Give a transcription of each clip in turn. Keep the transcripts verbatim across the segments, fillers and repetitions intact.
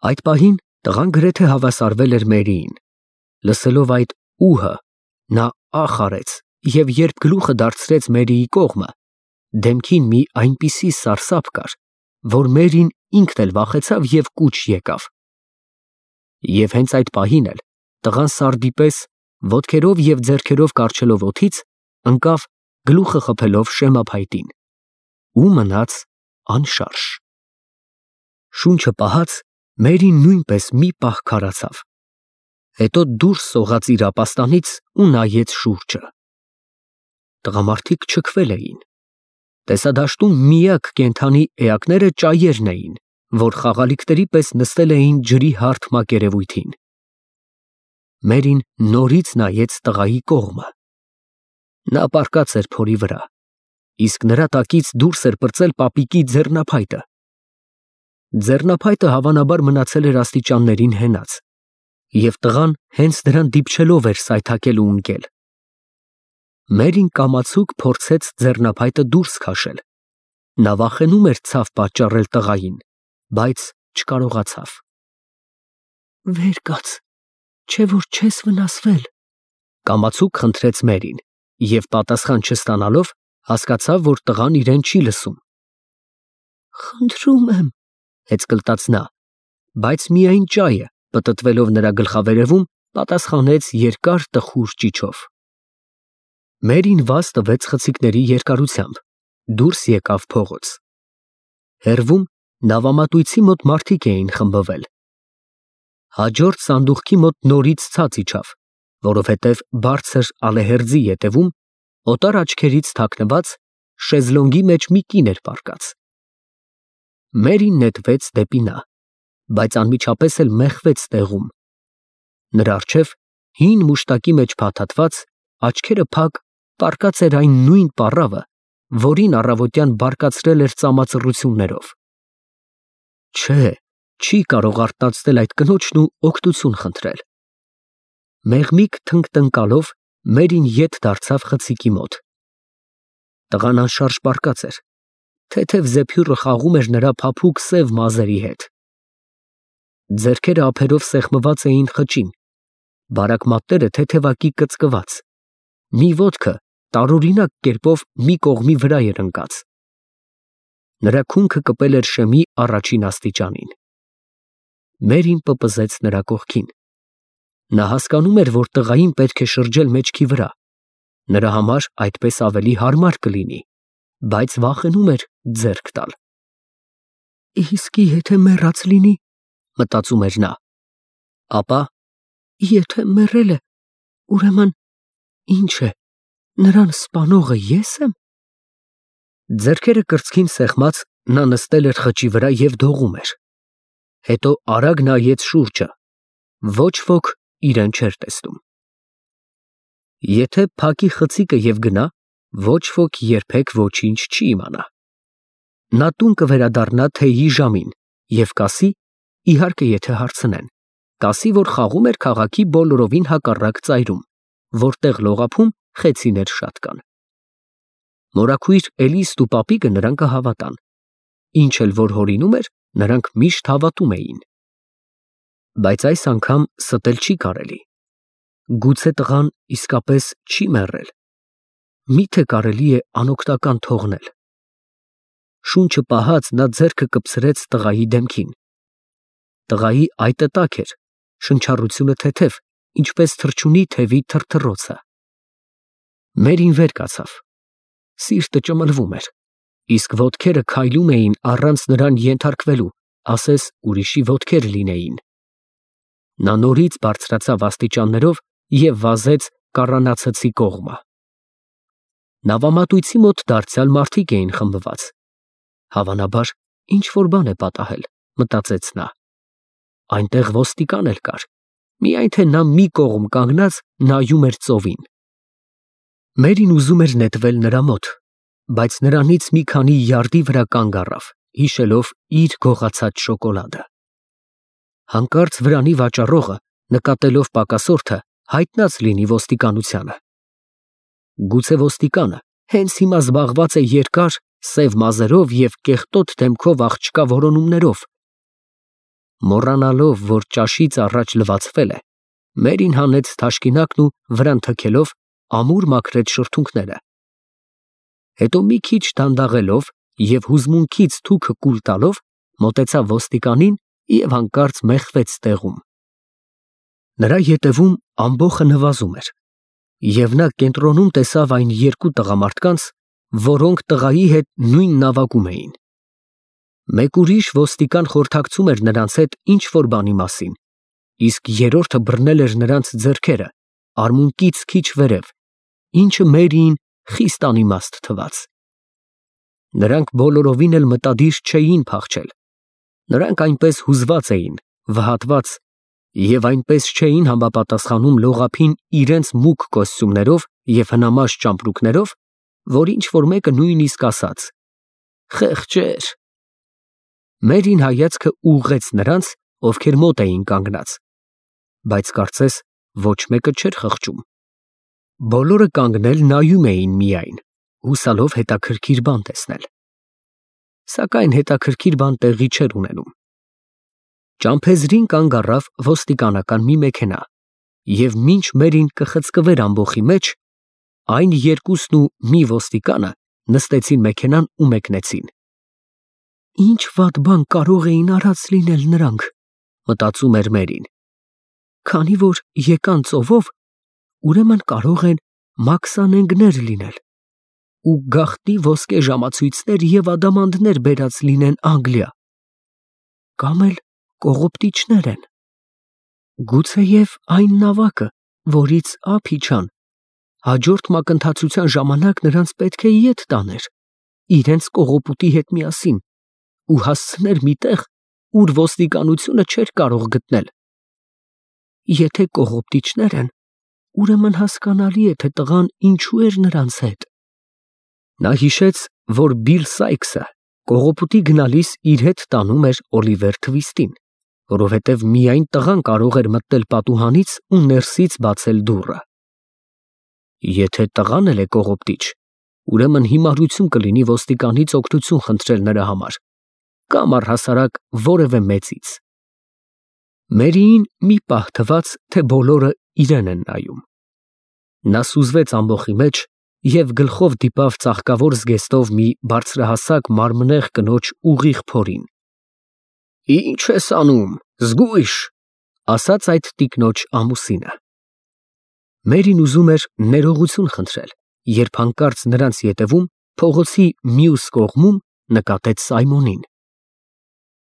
Այդ պահին տղան գրեթե հավասարվել էր Մերիին։ Լսելով այդ ուհը, նա ախ արեց և երբ գլուխը դարձրեց Մերիի կողմը, դեմքին մի այնպիսի սարսափ կար, որ Մերին ինքն էլ վախեցավ և կուչ եկավ։ Եվ հենց այդ պահին էլ տղան սարդի պես, ոտքերով և ձեռքերով կառչելով օդից, ընկավ գլուխը խփելով շեմափայտին ու մնաց անշարժ։ Շունչը պահած Մերին նույնպես մի պահ քարացավ, հետո դուրս սողաց իր ապաստանից ու նայեց շուրջը։ Տղամարդիկ չքվել էին։ Տեսադաշտում միակ կենդանի էակները ճայերն էին, որ խաղալիքների պես նստել էին ջրի հարթ մակերևույթին։ Մերին նորից նայեց տղայի կողմը։ Նա պառկած էր փորի վրա, իսկ նրա տակից դուրս էր պրծել պապիկի ձեռնափայտը։ Ձեռնափայտը հավանաբար մնացել էր աստիճաններին հենած, և տղան հենց դրան դիպչելով էր սայթաքել ու ընկել։ Մերին կամացուկ փորձեց ձեռնափայտը դուրս քաշել։ Նա վախենում էր ցավ պատճառել տղային, բայց չկարողացավ։ «Վեր կաց, չէ՞ որ չես վնասվել», կամացուկ խնդրեց Մերին, և պատասխան չստանալով, հասկացավ, որ տղան իրեն չի լսում։ «Խնդրում եմ», հեծկլտաց նա, բայց միայն ճայը, պտտվելով նրա գլխավերևում, պատասխանեց երկար տխուր ճիչով։ Մերին վազ տվեց խցիկների երկարությամբ, դուրս եկավ փողոց։ Հեռվում նավամատույցի մոտ մարդիկ էին խմբվել։ Հաջորդ սանդուղքի մոտ նորից ցած իջավ, որովհետև բարձր ալեհերձի ետևում, օտար աչքերից թաքնված, շեզլոնգի մեջ մի կին էր պառկած։ Մերին նետվեց դեպի նա, բայց անմիջապես էլ մեխվեց տեղում։ Նրա առջև, հին մուշտակի մեջ փաթաթված, աչքերը փակ, պառկած էր այն նույն պառավը, որին առավոտյան բարկացրել էր ծամածռություններով։ Չէ, չի կարող արթնացնել այդ կնոջն ու օգնություն խնդրել։ Մեղմիկ թնկտնկալով Մերին ետ դարձավ խցիկի մոտ։ Տղան անշարժ պառկած էր, թեթև զեփյուռը խաղում էր նրա փափուկ սև մազերի հետ։ Ձեռքերը ափերով սեղմված էին խճին, բարակ մատները թեթևակի կծկված, մի ոտքը տարօրինակ կերպով մի կողմի վրա էր ընկած։ Նրա քունքը կպել էր շեմի առաջին աստիճանին։ Մերին պպզեց նրա կողքին։ Նա հասկանում էր, որ տղային պետք է շրջել մեջքի վրա, նրա համար այդպես ավելի հարմար կլինի, բայց վախենում էր ձեռք տալ։ Իսկի եթե մեռած լինի, մտածում էր նա, ապա եթե մեռել է, ուրեմն ինչ է, նրան սպանողը ես եմ։ Ձեռքերը կրծքին սեղմած, նա նստել էր խճի վրա և դողում էր։ Հետո արագ նայեց շուրջը, ոչ ոք իրեն չէր տեսնում։ Եթե փակի խցիկը և գնա, ոչ ոք երբեք ոչինչ չի իմանա։ Նա տուն կվերադառնա թեյի ժամին և կասի, իհարկե եթե հարցնեն, կասի, որ խաղում էր քաղաքի բոլորովին հակառակ ծայրում, որտեղ լողափում խեցիներ շատ կան։ Մորաքույր Էլիստ ու պապիկը նրան կհավատան, ինչ էլ որ հորինում էր, նրանք միշտ հավատում էին։ Բայց այս անգամ ստել չի կարելի։ Գուցե տղան իսկապես չի մեռել։ Մի՞թե կարելի է անօգնական թողնել։ Շունչը պահած նա ձեռքը կպցրեց տղայի դեմքին։ Տղայի այտը տաք էր, շնչառությունը թեթև, ինչպես թռչունի թևի թրթռոցը։ Մերին վեր կացավ։ Սիրտը ճմլվում էր, իսկ ոտքերը քայլում էին առանց նրան ենթարկվելու, ասես ուրիշի ոտքեր լինեին։ Նա նորից բարձրացավ աստիճաններով և վազեց կառանացցի կողմը։ Նավամատույցի մոտ դարձյալ մարդիկ էին խմբված։ Հավանաբար, ինչ֊որ բան է պատահել, մտածեց նա։ Այնտեղ ոստիկան էլ կար, միայն թե նա մի կողմ կանգնած նայում էր ծովին։ Մերին ուզում էր նետվել նրա մոտ, բայց նրանից մի քանի յարդի վրա կանգ առավ, հիշելով իր գողացած շոկոլադը։ Հանկարծ վրանի վաճառողը, նկատելով պակասորդը, հայտնած լինի ոստիկանությանը։ Գուցե ոստիկանը հենց հիմա զբաղված է երկար, սև մազերով և կեղտոտ դեմքով աղջկա որոնումներով։ Մոռանալով, որ ճաշից առաջ լվացվել է, Մերին հանեց թաշկինակն ու վրան թքելով ամուր մաքրեց շրթունքները։ Հետո մի քիչ դանդաղելով և հուզմունքից թուքը կուլ տալով մոտեցավ ոստիկանին և հանկարծ մեխվեց տեղում։ Նրա ետևում ամբոխը նվազում էր, և նա կենտրոնում տեսավ այն երկու տղամարդկանց, որոնք տղայի հետ նույն նավակում էին։ Մեկ ուրիշ ոստիկան խորհրդակցում էր նրանց հետ ինչ֊որ բանի մասին, իսկ երրորդը բռնել էր նրանց ձեռքերը արմունկից քիչ վերև, ինչը Մերիին խիստ անիմաստ թվաց։ Նրանք բոլորովին էլ մտադիր չէին փախչել։ Նրանք այնպես հուզված էին, վհատված և այնպես չէին համապատասխանում լողափին իրենց մուգ կոստյումներով և հնամաշ ճամպրուկներով, որ ինչ֊որ մեկը նույնիսկ ասաց. «Խեղճեր»։ Մերին հայացքը ուղղեց նրանց, ովքեր մոտ էին կանգնած, բայց կարծես ոչ մեկը չէր խղճում։ Բոլորը կանգնել նայում էին միայն, հուսալով հետաքրքիր բան տեսնել։ Սակայն հետաքրքիր բան տեղի չէր ունենում։ Ճամփեզրին կանգ առավ ոստիկանական մի մեքենա, և մինչ Մերին կխցկվեր ամբոխի մեջ, այն երկուսն ու մի ոստիկանը նստեցին մեքենան ու մեկնեցին։ Ինչ վատ բան կարող էին արած լինել նրանք, մտածում էր Մերին։ Քանի որ եկան ծովով, ուրեմն կարող են մաքսանենգներ լինել ու գաղտնի ոսկե ժամացույցներ և ադամանդներ բերած լինեն Անգլիա, կամ էլ կողոպտիչներ են։ Գուցեև այն նավակը, որից ափ իջան, հաջորդ մակընթացության ժամանակ նրանց պետք է ետ տաներ իրենց կողոպուտի հետ միասին ու հասցներ մի տեղ, ուր ոստիկանությունը չէր կարող գտնել։ Եթե կողոպտիչներ են, ուրեմն հասկանալի է, թե տղան ինչու էր նրանց հետ։ Նա հիշեց, որ Բիլ Սայքսը կողոպուտի գնալիս իր հետ տանում էր Օլիվեր Թվիստին, որովհետև միայն տղան կարող էր մտնել պատուհանից ու ներսից բացել դուռը։ Եթե տղան էլ է կողոպտիչ, ուրեմն հիմարություն կլինի ոստիկանից օգնություն խնդրել նրա համար, կամ առհասարակ որևէ մեծից։ Մերիին մի պահ թվաց, թե բոլորը իրեն են նայում։ Նա սուզվեց ամբոխի մեջ և գլխով դիպավ ծաղկավոր զգեստով մի բարձրահասակ մարմնեղ կնոջ ուղիղ փորին։ «Ի՞նչ ես անում, զգույշ», ասաց այդ տիկնոջ ամուսինը։ Մերին ուզում էր ներողություն խնդրել, երբ հանկարծ նրանց ետևում, փողոցի մյուս կողմում նկատեց Սայմոնին։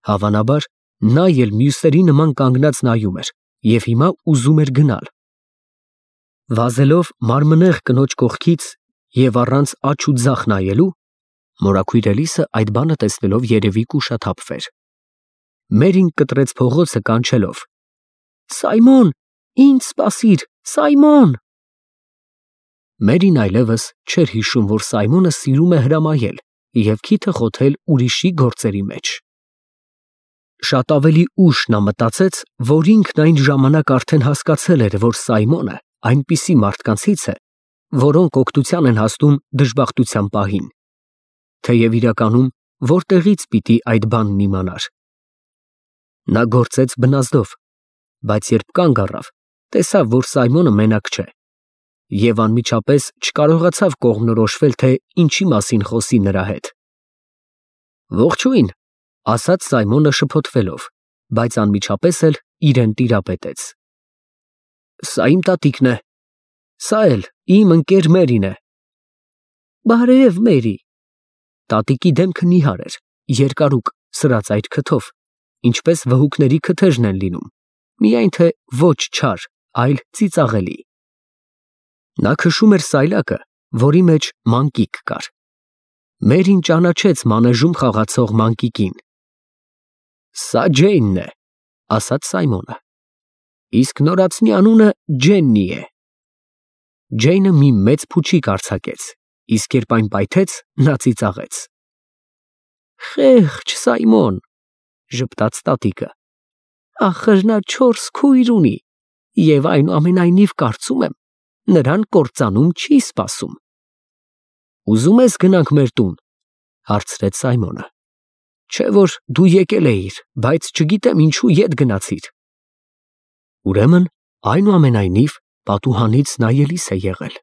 Հավանաբար, նա էլ մյուսերի նման կանգնած նայում էր և հիմա ուզում էր գնալ։ Վազելով մարմնեղ կնոջ կողքից և առանց աջ ու ձախ նայելու, մորաքույր Էլիսը այդ բանը տեսնելով երևի կուշաթափվեր։ Մերին կտրեց փողոցը կանչելով. «Սայմոն, ինձ սպասիր, Սայմոն»։ Մերին այլևս չէր հիշում, որ Սայմոնը սիրում է հրամայել և քիթը խոթել ուրիշի գործերի մեջ։ Շատ ավելի ուշ նա մտածեց, որ ինքն այն ժամանակ արդեն հասկացել էր, որ Սայմոնը այնպիսի մարդկանցից է, որոնք օգնության են հասնում դժբախտության պահին, թեև իրականում որտեղից պիտի այդ բանն իմանար։ Նա գործեց բնազդով, բայց երբ կանգ առավ, տեսավ, որ Սայմոնը մենակ չէ, և անմիջապես չկարողացավ կողմնորոշվել, թե ինչի մասին խոսի նրա հետ։ «Ողջույն», ասաց Սայմոնը շփոթվելով, բայց անմիջապես էլ իրեն տիրապետեց։ «Սա իմ տատիկն է, սա էլ իմ ընկեր Մերին է»։ «Բարև, Մերի»։ Տատիկի դեմքը նիհար էր, երկարուկ, սրածայր քթով, ինչպես վհուկների քթերն են լինում, միայն թե ոչ չար, այլ ծիծաղելի։ Նա քշում էր սայլակը, որի մեջ մանկիկ կար։ Մերին ճանաչեց մանեժում խաղացող մանկիկին։ «Սա Ջեյնն է», ասաց Սայմոնը, «իսկ նորածնի անունը Ջեննի է»։ Ջեյնը մի մեծ փուչիկ արձակեց, իսկ երբ այն պայթեց, նա ծիծաղեց։ «Խեղճ Սայմոն», ժպտաց տատիկը, «ախր նա չորս քույր ունի և այնուամենայնիվ կարծում եմ, նրան կործանում չի սպասում»։ «Ուզում ես գնանք մեր տուն», հարցրեց Սայմոնը։ Չէ որ դու եկել էիր, բայց չգիտեմ ինչու ետ գնացիր։ Ուրեմն, այնուամենայնիվ, պատուհանից նայելիս է եղել։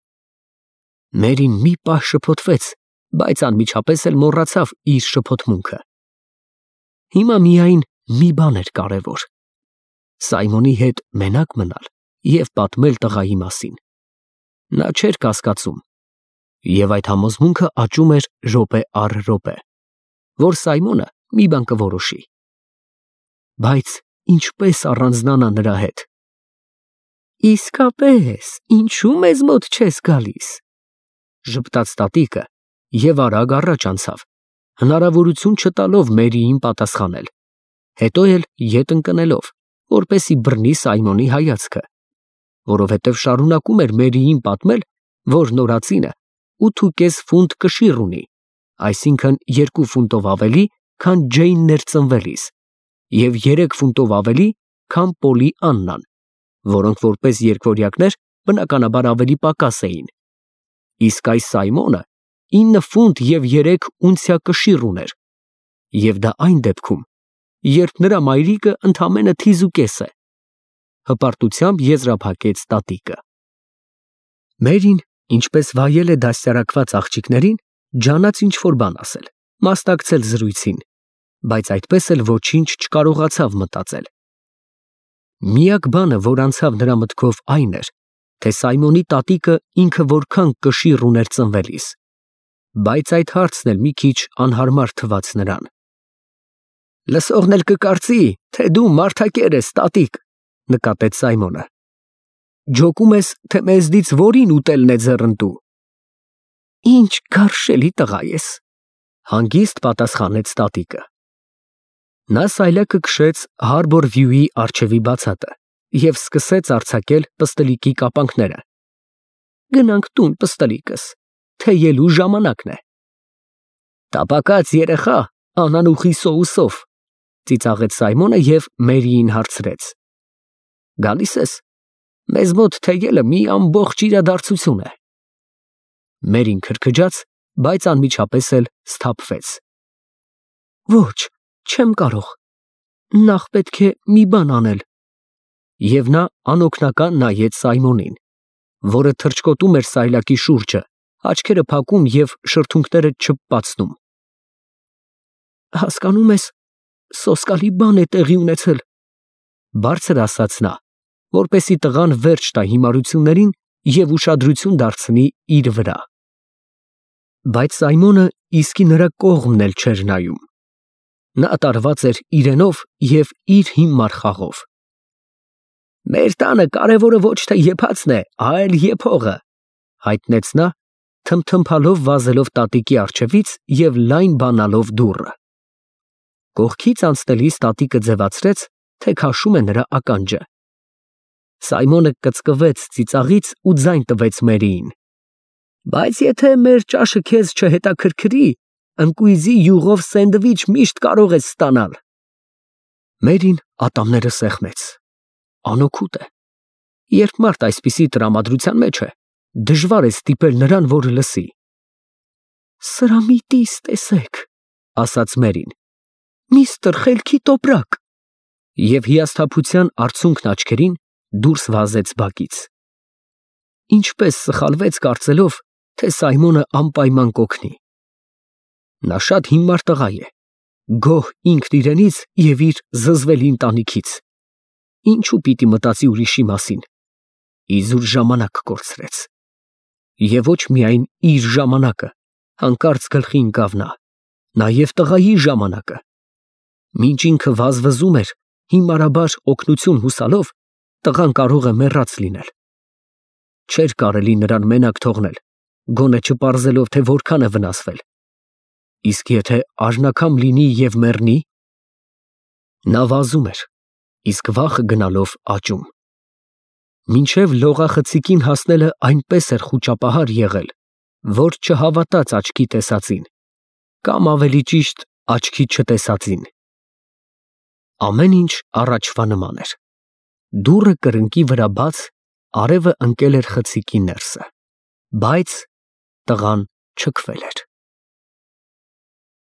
Մերին մի պահ շփոթվեց, բայց անմիջապես էլ մոռացավ իր շփոթմունքը։ Հիմա միայն մի բան էր կարևոր. Սայմոնի հետ մենակ մնալ և պատմել տղայի մասին։ Նա չէր կասկածում, և այդ համոզմունքը աճում էր րոպե առ րոպե, որ Սայմոնը մի բան կորոշի։ Բայց ինչպես առանձնանա նրա հետ։ Իսկապես, ինչու մեզ մոտ չես գալիս, ժպտաց տատիկը և արագ առաջ անցավ, հնարավորություն չտալով Մերիին պատասխանել, հետո էլ ետ ընկնելով, որպեսզի բռնի Սայմոնի հայացքը, որովհետև շարունակում էր Մերիին պատմել, որ նորածինը ութ ու կես ֆունտ կշիռ ունի, այսինքն երկու ֆունտով ավելի, քան Ջեյնն էր ծնվելիս, և երեք ֆունտով ավելի, քան Պոլի Աննան, որոնք որպես երկվորյակներ բնականաբար ավելի պակաս էին, իսկ այս Սայմոնը ինը ֆունտ և երեք ունցիա կշիռ ուներ, և դա այն դեպքում, երբ նրա մայրիկը ընդամենը թիզ ու կես է, հպարտությամբ եզրափակեց տատիկը։ Մերին, ինչպես վայել է դաստիարակված աղջիկներին, ջանաց ինչ֊որ բան ասել, մասնակցել զրույցին, բայց այդպես էլ ոչինչ չկարողացավ մտածել։ Միակ բանը, որ անցավ նրա մտքով, այն էր, թե Սայմոնի տատիկը ինքը որքան կշիռ ուներ ծնվելիս, բայց այդ հարցն էլ մի քիչ անհարմար թվաց նրան։ Լսողն էլ կկարծի, թե դու մարդակեր ես, տատիկ, նկատեց Սայմոնը։ Ջոկում ես, թե մեզնից որին ուտելն է ձեռնտու։ Ինչ գարշելի տղա ես, հանգիստ պատասխանեց տատիկը։ Նա սայլակը քշեց Harbor View-ի առջևի բացատը և սկսեց արձակել պստլիկի կապանքները։ Գնանք տուն, պստլիկս, թեյելու ժամանակն է։ Տապակած երեխա, անանուխի սոուսով, ծիծաղեց Սայմոնը և Մերիին հարցրեց. Գալի՞ս ես։ Մեզ մոտ թեյելը մի ամբողջ իրադարձություն է։ Մերին քրքջաց, բայց անմիջապես էլ սթափվեց։ Ոչ, չեմ կարող։ Նախ պետք է մի բան անել։ Եվ նա անօգնական նայեց Սայմոնին, որը թռչկոտում էր սայլակի շուրջը, աչքերը փակում և շրթունքները չփպացնում։ Հասկանում ես, սոսկալի բան է տեղի ունեցել, բարձր ասաց նա, որպեսզի տղան վերջ տա հիմարություններին և ուշադրություն դարձնի իր վրա։ Բայց Սայմոնը իսկի նրա կողմն էլ չէր նայում։ Նա տարված էր իրենով և իր հիմար խաղով։ Մեր տանը կարևորը ոչ թե եփածն է, այլ եփողը, հայտնեց նա, թմթմփալով վազելով տատիկի առջևից և լայն բանալով դուռը։ Կողքից անցնելիս տատիկը ձևացրեց, թե քաշում է նրա ականջը։ Սայմոնը կծկվեց ծիծաղից ու ձայն տվեց Մերիին։ Բայց եթե մեր ճաշը քեզ չհետաքրքրի, ընկույզի յուղով սենդվիչ միշտ կարող ես ստանալ։ Մերին ատամները սեղմեց։ Անօգուտ է։ Երբ մարդ այսպիսի տրամադրության մեջ է, դժվար է ստիպել նրան, որ լսի։ Սրա մի տիս տեսեք, ասաց Մերին։ Միստր Խելքի տոպրակ։ Եվ հիասթափության արցունքն աչքերին դուրս վազեց բակից։ Ինչպես սխալվեց կարծելով, թե Սայմոնը անպայման կօգնի։ Նա շատ հիմար տղա է, գոհ ինքն իրենից և իր զզվելի ընտանիքից։ Ինչու պիտի մտածի ուրիշի մասին։ Իզուր ժամանակ կորցրեց։ Եվ ոչ միայն իր ժամանակը, հանկարծ գլխի ընկավ նա, նաև տղայի ժամանակը։ Մինչ ինքը վազվզում էր, հիմարաբար օգնություն հուսալով, տղան կարող է մեռած լինել։ Չէր կարելի նրան մենակ թողնել, գոնե չպարզելով, թե որքան է վնասվել։ Իսկ եթե արժանաքամ լինի և մեռնի։ Նա վազում էր, իսկ վախը գնալով աճում։ Մինչև լողախցիկին հասնելը այնպես էր խուճապահար եղել, որ չհավատաց աչքի տեսածին, կամ ավելի ճիշտ աչքի չտեսածին։ Ամեն ինչ առաջվա նման էր։ Դուռը կրկնակի վրա բաց, արևը ընկել էր խցիկի ներսը, բայց տղան չքվել էր։